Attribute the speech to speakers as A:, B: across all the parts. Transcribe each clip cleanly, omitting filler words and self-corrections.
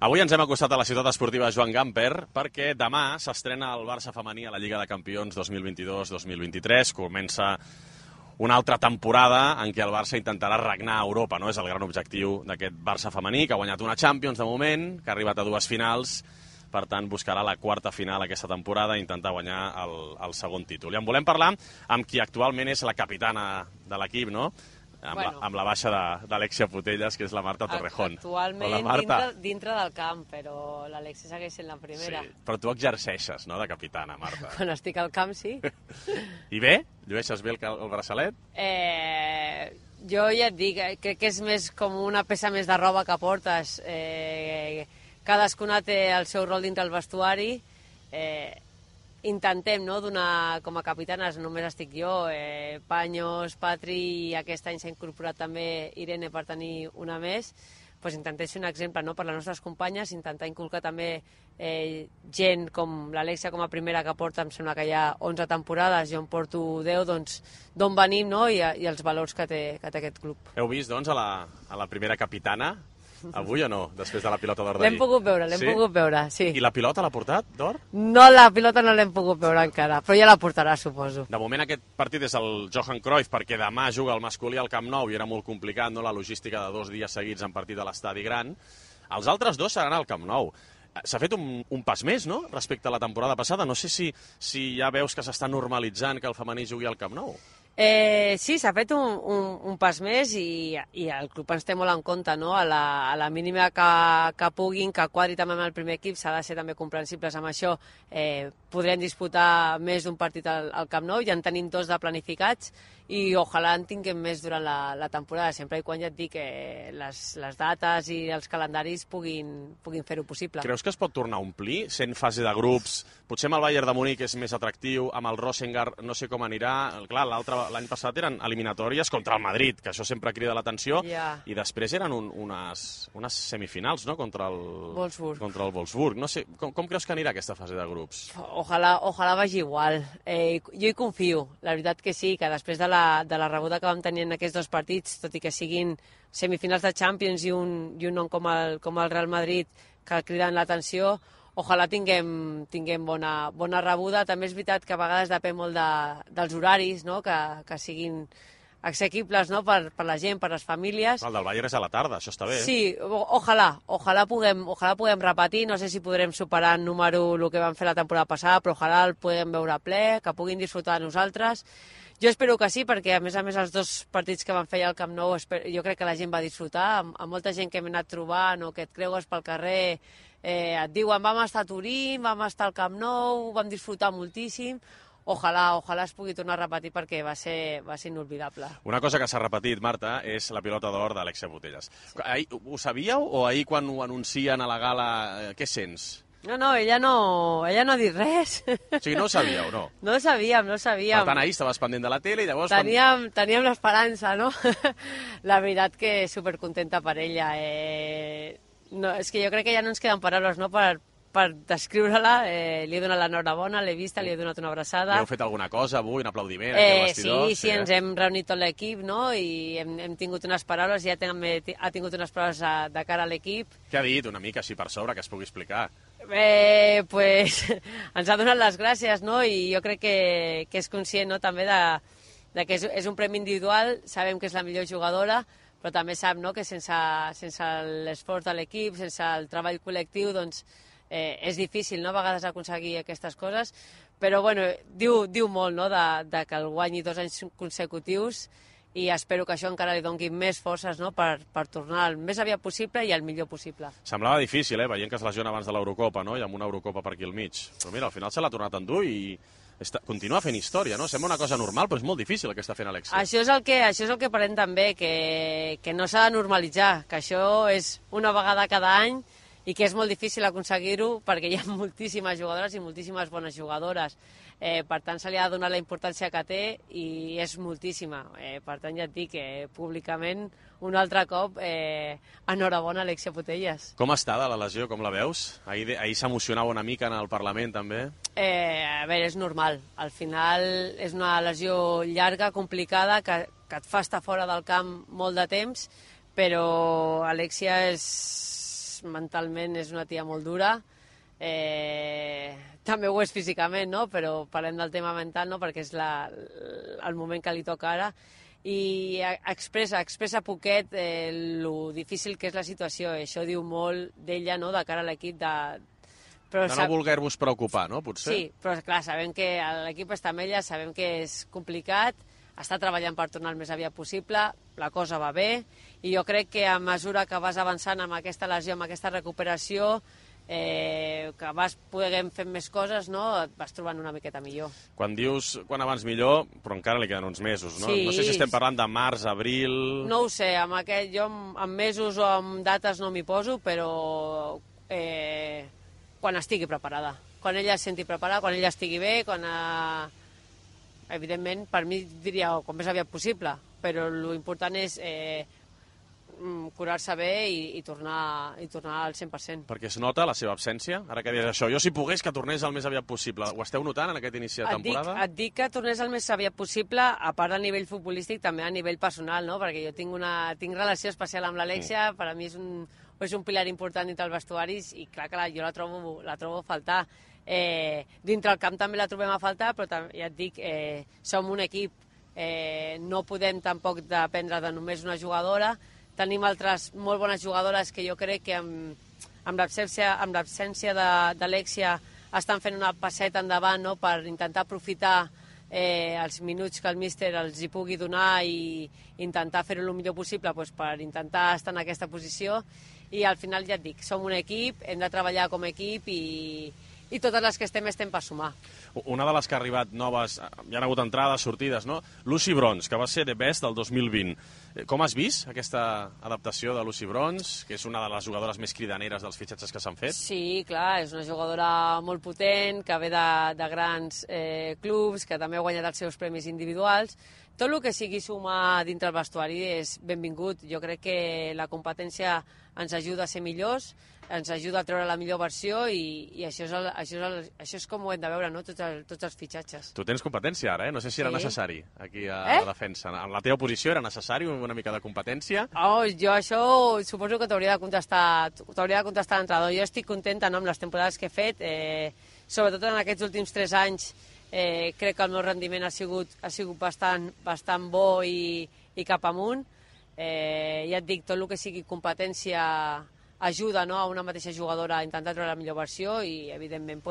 A: Avui ens hem acostat a la ciutat esportiva Joan Gamper perquè demà s'estrena el Barça femení a la Lliga de Campions 2022-2023. Comença una altra temporada en què el Barça intentarà regnar a Europa, no? És el gran objectiu d'aquest Barça femení, que ha guanyat una Champions de moment, que ha arribat a 2 finals, per tant buscarà la quarta final aquesta temporada i intentar guanyar el segon títol. I en volem parlar amb qui actualment és la capitana de l'equip, no? Amb la baixa d'Alexia Putellas, que és la Marta Torrejón.
B: Actualment dintre del camp, però l'Alexia segueix sent la primera.
A: Sí, però tu exerceixes, no?, de capitana, Marta.
B: Quan estic al camp, sí.
A: I bé? Llueixes bé el braçalet?
B: Jo ja et dic, crec que és més com una peça més de roba que portes. Cadascuna té el seu rol dintre el vestuari. Intentem, no?, donar com a capitanes, només estic jo, Paños, Patri, i aquest any s'ha incorporat també Irene per tenir una més, doncs intentem ser un exemple, no?, per les nostres companyes, intentar inculcar també gent com l'Alexia com a primera, que porta, em sembla que hi ha 11 temporades, jo en porto 10, doncs d'on venim, no?, i els valors que té aquest club.
A: Heu vist, doncs, a la primera capitana avui o no, després de la pilota d'or d'ahir?
B: L'hem pogut veure, sí.
A: I la pilota l'ha portat, d'or?
B: No, la pilota no l'hem pogut veure encara, però ja la portarà, suposo.
A: De moment aquest partit és el Johan Cruyff, perquè demà juga el masculí al Camp Nou i era molt complicat, no?, la logística de 2 dies seguits en partit a l'Estadi Gran. Els altres 2 seran al Camp Nou. S'ha fet un pas més, no?, respecte a la temporada passada. No sé si ja veus que s'està normalitzant que el femení jugui al Camp Nou.
B: Sí, s'ha fet un pas més i el club ens té molt en compte, no? A la mínima que puguin, que quadri també amb el primer equip, s'ha de ser també comprensibles amb això. Podrem disputar més d'un partit al Camp Nou, ja en tenim 2 de planificats i ojalà en tinguem més durant la temporada, sempre i quan ja et dic que les dates i els calendaris puguin fer-ho possible.
A: Creus que es pot tornar a omplir, sent fase de grups? Potser amb el Bayern de Munic és més atractiu, amb el Rosengar no sé com anirà. Clar, l'any passat eren eliminatòries contra el Madrid, que això sempre crida l'atenció, i després eren unes semifinals, no?, contra el Wolfsburg. No sé, com creus que anirà aquesta fase de grups?
B: Ojalà vagi igual. Jo hi confio, la veritat que sí, que després de la rebuda que vam tenir en aquests 2 partits, tot i que siguin semifinals de Champions i un nom com el Real Madrid que criden l'atenció, ojalà tinguem bona rebuda. També és veritat que a vegades depèn molt dels horaris, no?, que siguin assequibles, no?, per la gent, per les famílies.
A: El del Bayern és a la tarda, això està bé.
B: Sí, ojalà puguem repetir, no sé si podrem superar en número el que vam fer la temporada passada, però ojalà el puguem veure ple, que puguin disfrutar de nosaltres. Jo espero que sí, perquè a més els 2 partits que van fer al Camp Nou jo crec que la gent va disfrutar, amb molta gent que hem anat trobant o que et creues pel carrer, et diuen vam estar a Turín, vam estar al Camp Nou, vam disfrutar moltíssim. Ojalà es pugui tornar a repetir perquè va ser inolvidable.
A: Una cosa que s'ha repetit, Marta, és la pilota d'or d'Alexia Putellas. Ho sabíeu o ahir quan ho anuncien a la gala, què sents?
B: No, ella no ha dit res.
A: O sigui, no ho sabíeu, no?
B: No ho sabíem.
A: Per tant, ahir estaves pendent de la tele i llavors...
B: Teníem l'esperança, no? La veritat que supercontenta per ella. No, és que jo crec que ja no ens queden paraules, no?, per descriure-la. Li he donat l'enhorabona, l'he vista, li he donat una abraçada.
A: Heu fet alguna cosa avui, un aplaudiment aquí al vestidor?
B: Sí, ens hem reunit tot l'equip, no?, i hem tingut unes paraules, i ja ha tingut unes paraules de cara a l'equip.
A: Què ha dit, una mica així per sobre, que es pugui explicar?
B: Pues ens ha donat les gràcies, no?, i jo crec que és conscient, no?, també de que és un premi individual, sabem que és la millor jugadora, però també sap, no?, que sense l'esforç de l'equip, sense el treball col·lectiu, doncs és difícil, no?, a vegades aconseguir aquestes coses, però bueno, diu molt, no?, de que el guanyi 2 anys consecutius, i espero que això encara li doni més forces, no?, per tornar el més aviat possible i el millor possible.
A: Semblava difícil, veient que es lesiona abans de l'Eurocopa, no?, i amb una Eurocopa per aquí al mig. Però mira, al final se l'ha tornat a endur i continua fent història, no? Sembla una cosa normal, però és molt difícil el que està fent Alexia.
B: Això és el que parlem també, que no s'ha de normalitzar, que això és una vegada cada any i que és molt difícil aconseguir-ho perquè hi ha moltíssimes jugadores i moltíssimes bones jugadores. Per tant, se li ha de donar la importància que té i és moltíssima. Per tant, ja et dic que públicament, un altre cop, enhorabona Alexia Putellas.
A: Com està de la lesió, com la veus? Ahir s'emocionava una mica en el Parlament, també.
B: A veure, és normal. Al final és una lesió llarga, complicada, que et fa estar fora del camp molt de temps, però Alexia és mentalment és una tia molt dura, també ho és físicament, no? Però parlem del tema mental, no? Perquè és el moment que li toca ara, i expressa poquet lo difícil que és la situació. Això diu molt d'ella, no?, de cara a l'equip.
A: De no voler-vos preocupar, no?, potser?
B: Sí, però clar, sabem que l'equip està amb ella, sabem que és complicat, està treballant per tornar el més aviat possible, la cosa va bé, i jo crec que a mesura que vas avançant amb aquesta lesió, amb aquesta recuperació, que vas poder fer més coses, no?, et vas trobant una miqueta millor.
A: Quan dius quan abans millor, però encara li queden uns mesos, no?
B: Sí.
A: No sé si estem parlant de març, abril...
B: No ho sé, jo amb mesos o amb dates no m'hi poso, però quan estigui preparada. Quan ella es senti preparada, quan ella estigui bé, evidentment, per mi diria com més aviat possible, però l'important és curar-se bé i tornar al 100%.
A: Perquè es nota la seva absència? Ara que deies això, jo si pogués que tornés el més aviat possible. Ho esteu notant en aquest inici de temporada?
B: Et dic que tornés el més aviat possible, a part a nivell futbolístic, també a nivell personal, no? Perquè jo tinc relació especial amb l'Alexia, per a mi és un pilar important dintre els vestuaris, i clar que jo la trobo a faltar. Dintre el camp també la trobem a faltar, però ja et dic, som un equip, no podem tampoc dependre de només una jugadora. Tenim altres molt bones jugadores que jo crec que amb l'absència d'Alexia estan fent una passeta endavant, no?, per intentar aprofitar els minuts que el míster els hi pugui donar i intentar fer-ho el millor possible, doncs, per intentar estar en aquesta posició. I al final, ja et dic, som un equip, hem de treballar com a equip i totes les que estem per sumar.
A: Una de les que ha arribat noves, hi ha hagut entrades, sortides, no? Lucy Bronze, que va ser The Best del 2020. Com has vist aquesta adaptació de Lucy Bronze, que és una de les jugadores més cridaneres dels fitxatges que s'han fet?
B: Sí, clar, és una jugadora molt potent, que ve de grans clubs, que també ha guanyat els seus premis individuals. Tot el que sigui sumar dintre el vestuari és benvingut. Jo crec que la competència ens ajuda a ser millors, ens ajuda a treure la millor versió, i això és com ho hem de veure, no?, tots els fitxatges.
A: Tu tens competència ara, No sé si era necessari aquí a la defensa. En la teva posició era necessari una mica de competència?
B: Jo això suposo que t'hauria de contestar l'entrenador. Jo estic contenta, no?, amb les temporades que he fet, sobretot en aquests últims 3 anys. Crec que el meu rendiment ha sigut bastant bo i cap amunt. Ja et dic, tot el que sigui competència ajuda, no?, a una mateixa jugadora a intentar treure la millor versió i, evidentment,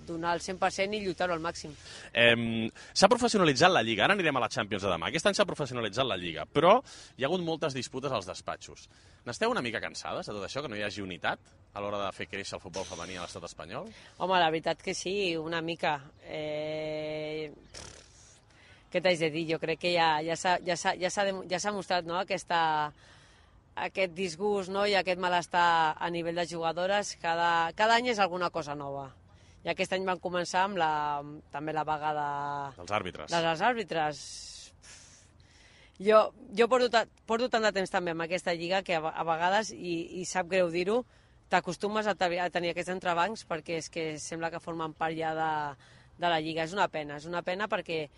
B: donar el 100% i lluitar-ho al màxim.
A: S'ha professionalitzat la Lliga. Ara anirem a la Champions de demà. Aquest any s'ha professionalitzat la Lliga, però hi ha hagut moltes disputes als despatxos. N'esteu una mica cansades de tot això, que no hi hagi unitat a l'hora de fer créixer el futbol femení a l'estat espanyol?
B: Home, la veritat que sí, una mica. Què t'haig de dir? Jo crec que ja s'ha mostrat, no?, aquest disgust, no?, i aquest malestar a nivell de jugadores. Cada any és alguna cosa nova. I aquest any van començar amb també la vaga
A: dels àrbitres.
B: dels àrbitres. Jo porto tant de temps també amb aquesta lliga que a vegades, i sap greu dir-ho, t'acostumes a tenir aquests entrebancs, perquè és que sembla que formen part ja de la lliga. És una pena perquè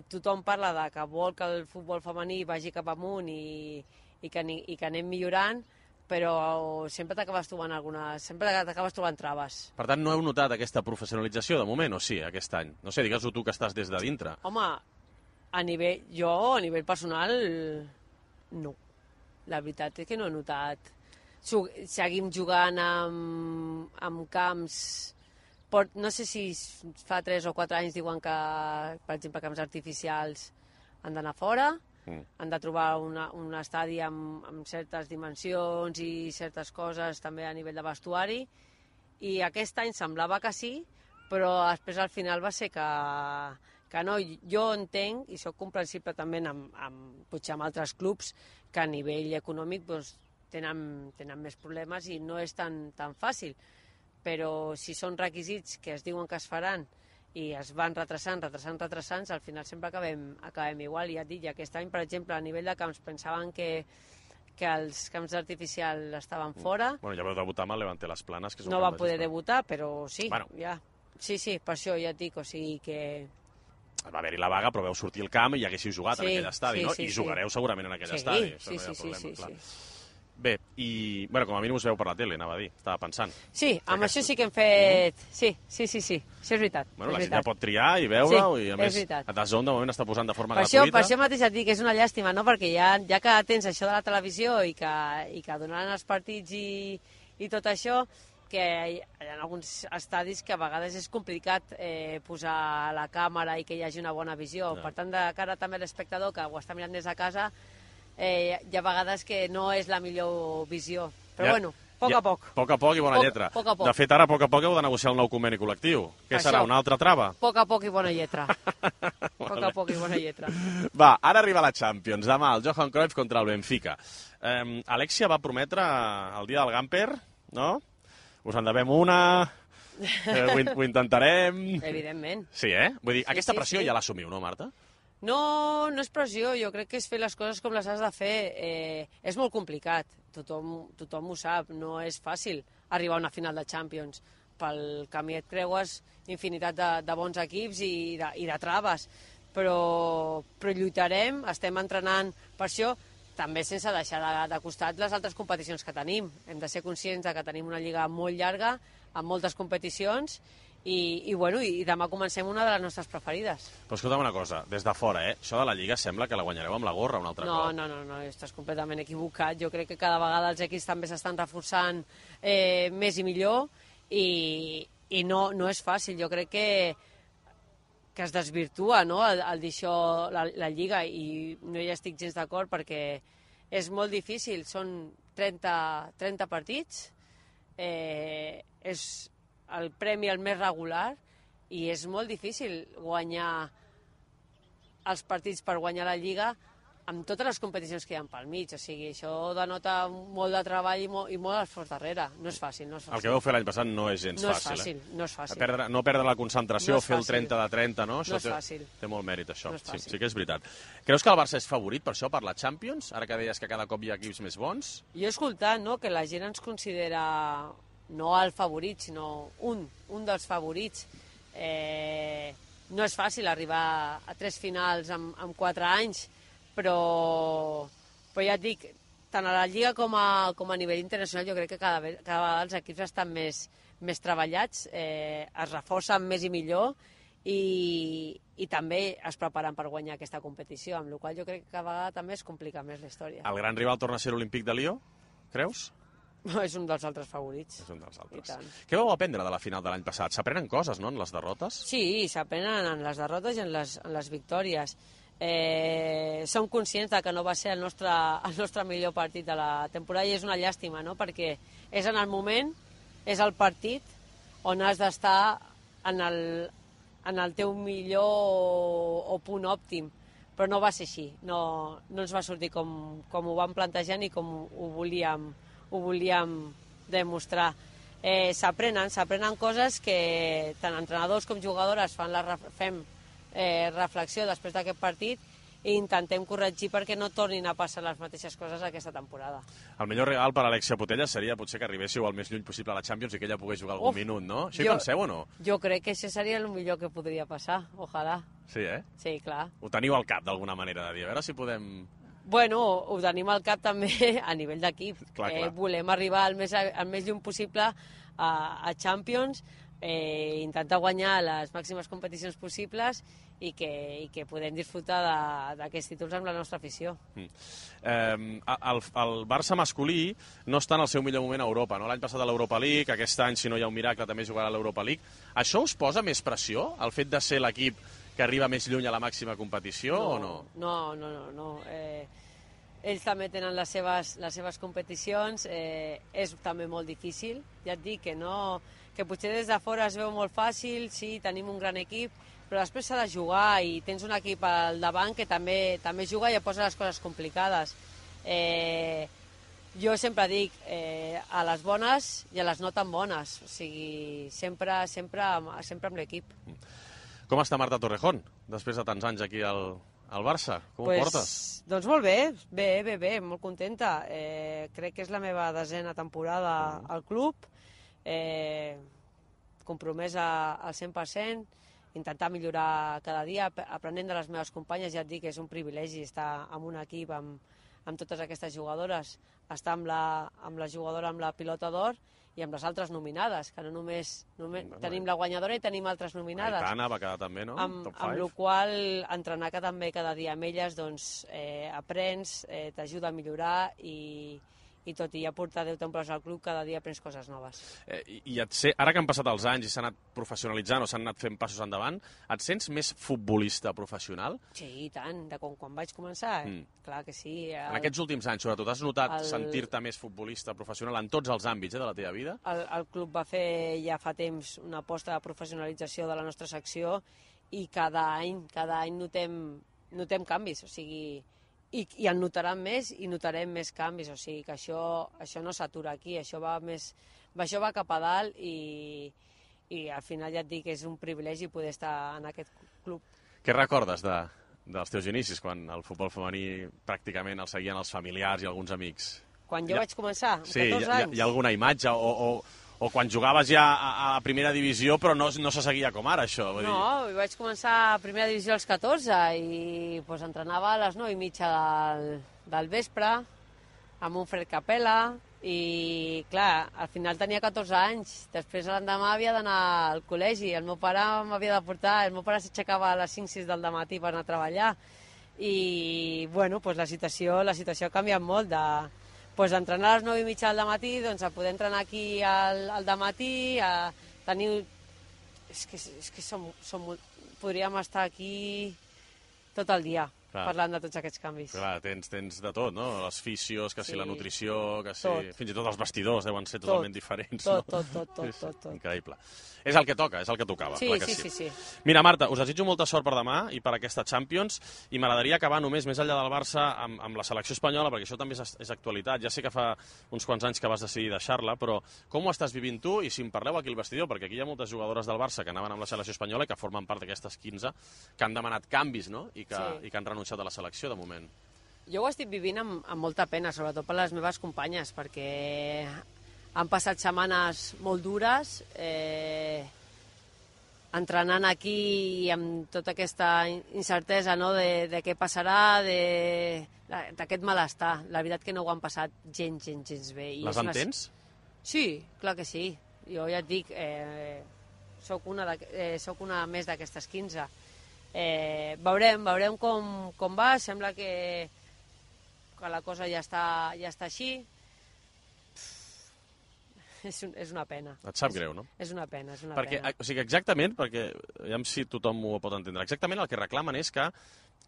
B: tothom parla de que vol que el futbol femení vagi cap amunt i que anem millorant, però sempre t'acabes trobant traves.
A: Per tant, no heu notat aquesta professionalització de moment, o sí, aquest any? No sé, digues-ho tu que estàs des de dintre.
B: Home, a nivell personal, no. La veritat és que no he notat. Seguim jugant amb camps... No sé si fa 3 o 4 anys diuen que, per exemple, camps artificials han d'anar fora, han de trobar un estadi amb certes dimensions i certes coses també a nivell de vestuari, i aquest any semblava que sí, però després al final va ser que no. Jo entenc, i sóc comprensible també potser amb altres clubs, que a nivell econòmic tenen més problemes i no és tan fàcil, però si són requisits que es diuen que es faran i es van retrasant, al final sempre acabem igual. I ja et dic, aquest any, per exemple, a nivell de camps pensaven que els camps artificials estaven fora.
A: Bueno, ja vau debutar amb el Levante Las Planes, que és un
B: no
A: camp
B: va poder debutar, però sí,
A: bueno.
B: ja. Sí, per això ja et dic, o sigui que...
A: Va haver-hi la vaga, però vau sortir al camp i ja haguéssiu jugat en aquell estadi, no? I jugareu segurament en aquell estadi.
B: Sí.
A: Bé, i com a mínim us veu per la tele, anava a dir, estava pensant.
B: Sí, amb això sí que hem fet... Sí, això és veritat.
A: Bueno, la gent ja pot triar i veure-ho, i a més, a DAZN de moment està posant de forma gratuïta.
B: Per això mateix et dic que és una llàstima, no? Perquè ja que tens això de la televisió i que donaran els partits i tot això, que hi ha alguns estadis que a vegades és complicat posar la càmera i que hi hagi una bona visió. Per tant, de cara també a l'espectador que ho està mirant des de casa, hi ha vegades que no és la millor visió. Però bueno, a poc a poc.
A: A poc a poc i bona lletra.
B: Poc a poc.
A: De fet, ara a poc a poc heu de negociar el nou conveni col·lectiu. Què serà, una altra trava?
B: A poc a poc i bona lletra. A poc a poc i bona lletra.
A: Va, ara arriba la Champions. Demà el Johan Cruyff contra el Benfica. Alexia va prometre el dia del Gamper, no? Us en devem una, ho intentarem...
B: Evidentment.
A: Sí, Vull dir, aquesta pressió ja l'assumiu, no, Marta?
B: No és pressió, jo crec que és fer les coses com les has de fer. És molt complicat, tothom ho sap, no és fàcil arribar a una final de Champions. Pel camí et creues infinitat de bons equips i de traves, però lluitarem, estem entrenant per això, també sense deixar de costat les altres competicions que tenim. Hem de ser conscients que tenim una lliga molt llarga, amb moltes competicions, i demà comencem una de les nostres preferides.
A: Però escolta'm una cosa, des de fora, això de la Lliga sembla que la guanyareu amb la gorra un altre cop.
B: No, estàs completament equivocat. Jo crec que cada vegada els equips també s'estan reforçant més i millor, i no és fàcil. Jo crec que es desvirtua, no?, el dir això, la Lliga, i no hi estic gens d'acord perquè és molt difícil. Són 30 partits, és el premi el més regular, i és molt difícil guanyar els partits per guanyar la Lliga amb totes les competicions que hi ha pel mig. O sigui, això denota molt de treball i molt esforç darrere. No és fàcil.
A: El que vau fer l'any passat no és gens fàcil.
B: No és fàcil.
A: No perdre la concentració, fer el 30 de 30, no?
B: No és fàcil.
A: Té molt mèrit, això.
B: No és fàcil.
A: Sí que és veritat. Creus que el Barça és favorit, per això, per la Champions? Ara que deies que cada cop hi ha equips més bons?
B: Jo he escoltat, no?, que la gent ens considera no el favorit, sinó un dels favorits. No és fàcil arribar a 3 finals en 4 anys, però ja et dic, tant a la Lliga com a nivell internacional, jo crec que cada vegada els equips estan més treballats, es reforcen més i millor, i també es preparen per guanyar aquesta competició, amb la qual jo crec que cada vegada també es complica més la història.
A: El gran rival torna a ser l'Olímpic de Lió, creus?
B: No, és un dels altres favorits.
A: És un dels altres. Què vau aprendre de la final de l'any passat? S'aprenen coses, no?, en les derrotes?
B: Sí, s'aprenen en les derrotes i en les victòries. Som conscients que no va ser el nostre millor partit de la temporada, i és una llàstima, no?, perquè és en el moment, és el partit on has d'estar en el teu millor o punt òptim, però no va ser així, no ens va sortir com ho vam plantejar ni com ho volíem demostrar. S'aprenen coses que tant entrenadors com jugadores fem reflexió després d'aquest partit i intentem corregir perquè no tornin a passar les mateixes coses aquesta temporada.
A: El millor regal per a Alexia Putellas seria potser que arribéssiu el més lluny possible a la Champions i que ella pogués jugar algun minut, no? Això hi penseu o no?
B: Jo crec que això seria el millor que podria passar, ojalà.
A: Sí,
B: Sí, clar.
A: Ho teniu al cap d'alguna manera de dir, a veure si podem...
B: Bueno, ho tenim al cap també a nivell d'equip. Volem arribar el més lluny possible a Champions, intentar guanyar les màximes competicions possibles i que podem disfrutar d'aquests títols amb la nostra afició.
A: El Barça masculí no està en el seu millor moment a Europa, no? L'any passat a l'Europa League, aquest any, si no hi ha un miracle, també jugarà a l'Europa League. Això us posa més pressió, el fet de ser l'equip que arriba més lluny a la màxima competició, o no?
B: No. Ells també tenen les seves competicions, és també molt difícil. Ja et dic que potser des de fora es veu molt fàcil, sí, tenim un gran equip, però després s'ha de jugar i tens un equip al davant que també juga i posa les coses complicades. Jo sempre dic a les bones i a les no tan bones, o sigui, sempre amb l'equip.
A: Com està Marta Torrejón, després de tants anys aquí al Barça? Com ho portes?
B: Doncs molt bé, molt contenta. Crec que és la meva 10a temporada al club, compromesa al 100%, intentar millorar cada dia, aprenent de les meves companyes. Ja et dic que és un privilegi estar en un equip amb totes aquestes jugadores està amb la jugadora amb la pilota d'or i amb les altres nominades, que no només tenim la guanyadora i tenim altres nominades.
A: Aitana va quedar també, no?
B: Amb la qual entrenar també cada dia amb elles, doncs aprens, t'ajuda a millorar i tot i ja portar 10 temples al club, cada dia aprens coses noves.
A: Ara que han passat els anys i s'ha anat professionalitzant o s'han anat fent passos endavant, et sents més futbolista professional?
B: Sí, i tant, de quan vaig començar, clar que sí.
A: En aquests últims anys, sobretot, has notat sentir-te més futbolista professional en tots els àmbits de la teva vida?
B: El club va fer ja fa temps una aposta de professionalització de la nostra secció i cada any notem canvis, o sigui, i en notaran més i notarem més canvis, o sigui que això no s'atura aquí, això va cap a dalt i al final ja et dic que és un privilegi poder estar en aquest club.
A: Què recordes dels teus inicis, quan el futbol femení pràcticament el seguien els familiars i alguns amics?
B: Quan jo vaig començar, amb 14 anys?
A: Hi ha alguna imatge o quan jugaves ja a la primera divisió però no se seguia com ara, això?
B: No, vaig començar a primera divisió als 14 i pues, entrenava a les 9:30 del vespre amb un fred capella i, clar, al final tenia 14 anys. Després l'endemà havia d'anar al col·legi. El meu pare m'havia de portar, el meu pare s'aixecava a les 5-6 del matí per anar a treballar i, bueno, pues, la situació ha canviat molt d'entrenar a les 9:30 del matí, doncs a poder entrenar aquí al dematí, a tenir... És que podríem estar aquí tot el dia parlant de tots aquests canvis.
A: Clar, tens de tot, no? Les fisios, que si la nutrició, que si... Fins i tot els vestidors deuen ser totalment diferents.
B: Tot.
A: Increïble. És el que toca, és el que tocava.
B: Sí.
A: Mira, Marta, us desitjo molta sort per demà i per aquesta Champions i m'agradaria acabar només, més enllà del Barça, amb la selecció espanyola, perquè això també és actualitat. Ja sé que fa uns quants anys que vas decidir deixar-la, però com ho estàs vivint tu? I si em parleu aquí al vestidor, perquè aquí hi ha moltes jugadores del Barça que anaven amb la selecció espanyola i que formen part d'aquestes 15 que han demanat canvis, no? I que han renunciat a la selecció de moment.
B: Jo ho estic vivint amb molta pena, sobretot per les meves companyes, perquè han passat setmanes molt dures, entrenant aquí amb tota aquesta incertesa, no?, de què passarà, d'aquest malestar. La veritat que no ho han passat gens bé.
A: Les entens?
B: Sí, clar que sí. Jo ja et dic, soc una més d'aquestes 15. Veurem com va. Sembla que la cosa ja està així. És una pena.
A: Et sap greu, no?
B: És una pena.
A: O sigui, exactament, perquè ja si tothom ho pot entendre, exactament el que reclamen és que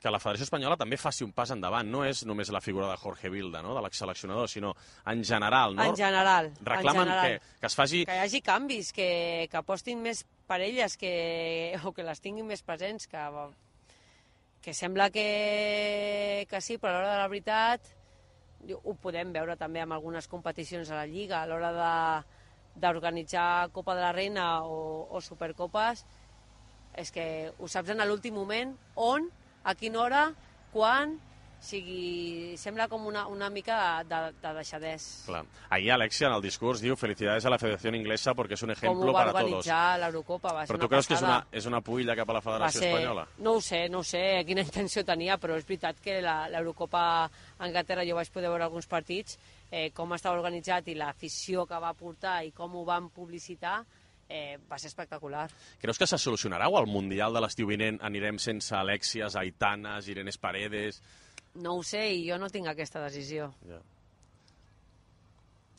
A: la Federació Espanyola també faci un pas endavant. No és només la figura de Jorge Vilda, no?, de l'exseleccionador, sinó en general, no?
B: En general.
A: Reclamen que es faci...
B: Que hi hagi canvis, que apostin més per elles, o que les tinguin més presents, que sembla que sí, però a l'hora de la veritat ho podem veure també en algunes competicions a la Lliga, a l'hora d'organitzar Copa de la Reina o Supercopes, és que ho saps en l'últim moment, on, a quina hora, quan... O sigui, sembla com una mica de deixadès.
A: Clar. Ahir Alexia, en el discurs, diu «Felicidades a la Federació Inglesa porque es un ejemplo para todos».
B: Com ho va organitzar l'Eurocopa, va ser
A: una passada. Però tu creus que és una puïlla cap a la Federació Espanyola?
B: No ho sé quina intenció tenia, però és veritat que l'Eurocopa a Anglaterra jo vaig poder veure alguns partits, com estava organitzat i l'afició que va portar i com ho van publicitar, va ser espectacular.
A: Creus que se solucionarà o al Mundial de l'estiu vinent anirem sense Alexias, Aitanas, Irenes Paredes...
B: No ho sé i jo no tinc aquesta decisió.
A: Ja.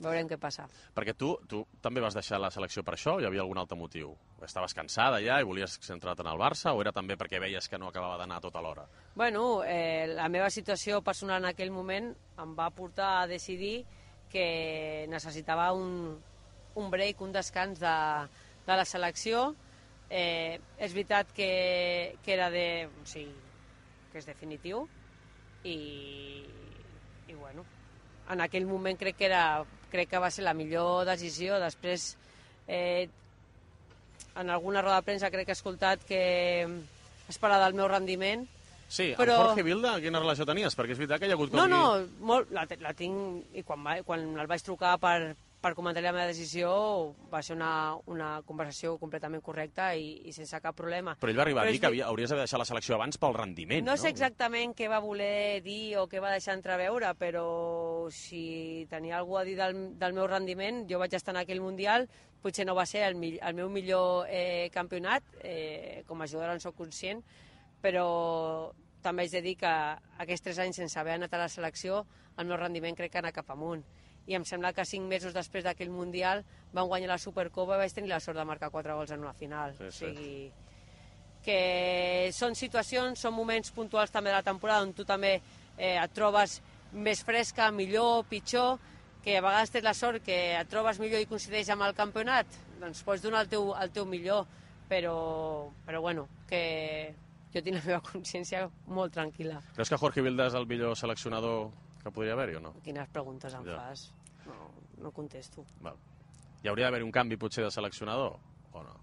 B: Veurem què passa.
A: Perquè tu també vas deixar la selecció per això o hi havia algun altre motiu? Estaves cansada ja i volies centrar-te en el Barça o era també perquè veies que no acabava d'anar tota l'hora?
B: Bueno, la meva situació personal en aquell moment em va portar a decidir que necessitava un break, un descans de la selecció. És veritat que era que és definitiu, i bueno, en aquell moment crec que va ser la millor decisió. Després, en alguna roda de premsa crec que he escoltat que es parla del meu rendiment.
A: Sí, però... amb Jorge Vilda quina relació tenies? Perquè és veritat que hi ha hagut...
B: La tinc, i quan el vaig trucar per comentar la meva decisió va ser una conversació completament correcta i sense cap problema.
A: Però ell va arribar a dir que hauries de deixar la selecció abans pel rendiment, no?
B: No sé exactament què va voler dir o què va deixar entreveure, però si tenia algú a dir del meu rendiment, jo vaig estar en aquell Mundial, potser no va ser el meu millor campionat, com a jugadora en soc conscient, però també haig de dir que aquests 3 anys sense haver anat a la selecció, el meu rendiment crec que ha anat cap amunt. I em sembla que 5 mesos després d'aquell Mundial vam guanyar la Supercopa i vaig tenir la sort de marcar 4 gols en una final.
A: Sí, sí.
B: O sigui, que són situacions, són moments puntuals també de la temporada on tu també et trobes més fresca, millor, pitjor, que a vegades tens la sort que et trobes millor i coincideix amb el campionat, doncs pots donar el teu millor, però bueno, que jo tinc la meva consciència molt tranquil·la.
A: Creus que Jorge Vilda és el millor seleccionador que podria haver-hi o no?
B: Quines preguntes em
A: Ja.
B: fas? No contesto.
A: Val. Hi hauria d'haver un canvi potser de seleccionador o no?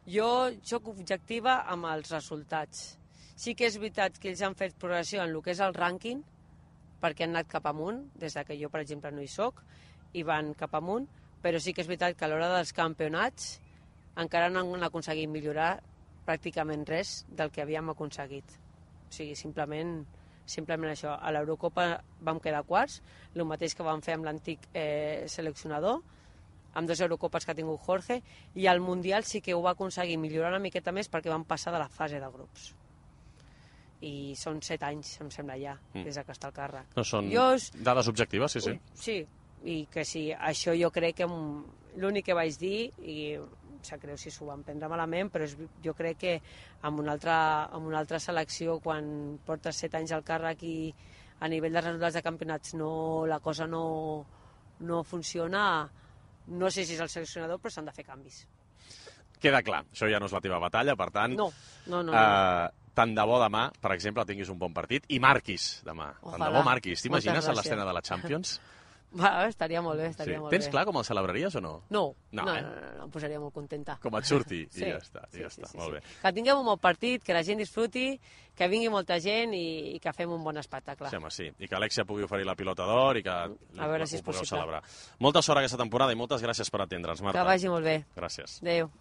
B: Jo sóc objectiva amb els resultats. Sí que és veritat que ells han fet progressió en el que és el rànquing, perquè han anat cap amunt, des que jo, per exemple, no hi soc, i van cap amunt, però sí que és veritat que a l'hora dels campionats encara no han aconseguit millorar pràcticament res del que havíem aconseguit. O sigui, simplement això. A l'Eurocopa vam quedar quarts, el mateix que vam fer amb l'antic seleccionador, amb 2 Eurocopes que ha tingut Jorge, i al Mundial sí que ho va aconseguir millorar una miqueta més perquè vam passar de la fase de grups. I són 7 anys, em sembla ja, des que està al càrrec.
A: No són dades objectives, sí, sí.
B: Sí, i que sí, això jo crec que l'únic que vaig dir, i em sap greu si s'ho van prendre malament, però jo crec que amb una altra selecció, quan portes 7 anys al càrrec i a nivell de resultats de campionats la cosa no funciona, no sé si és el seleccionador, però s'han de fer canvis.
A: Queda clar, això ja no és la teva batalla, per tant...
B: No.
A: Tant de bo demà, per exemple, tinguis un bon partit i marquis demà.
B: Ojalà.
A: Tant de bo marquis. T'imagines
B: Moltes
A: a l'escena
B: gràcies.
A: de la Champions?
B: Estaria molt bé, estaria molt bé.
A: Tens clar com el celebraries o no?
B: No,
A: No,
B: em posaria molt contenta.
A: Com et surti,
B: Sí,
A: i ja està.
B: sí,
A: Molt bé.
B: Que tinguem un bon partit, que la gent disfruti, que vingui molta gent i que fem un bon espectacle.
A: Sí, home, sí. I que Alexia pugui oferir la pilota d'or i que
B: A veure si és
A: ho pugueu
B: possible.
A: celebrar. Molta sort aquesta temporada i moltes gràcies per atendre'ns, Marta.
B: Que vagi molt bé.
A: Gràcies.
B: Adéu.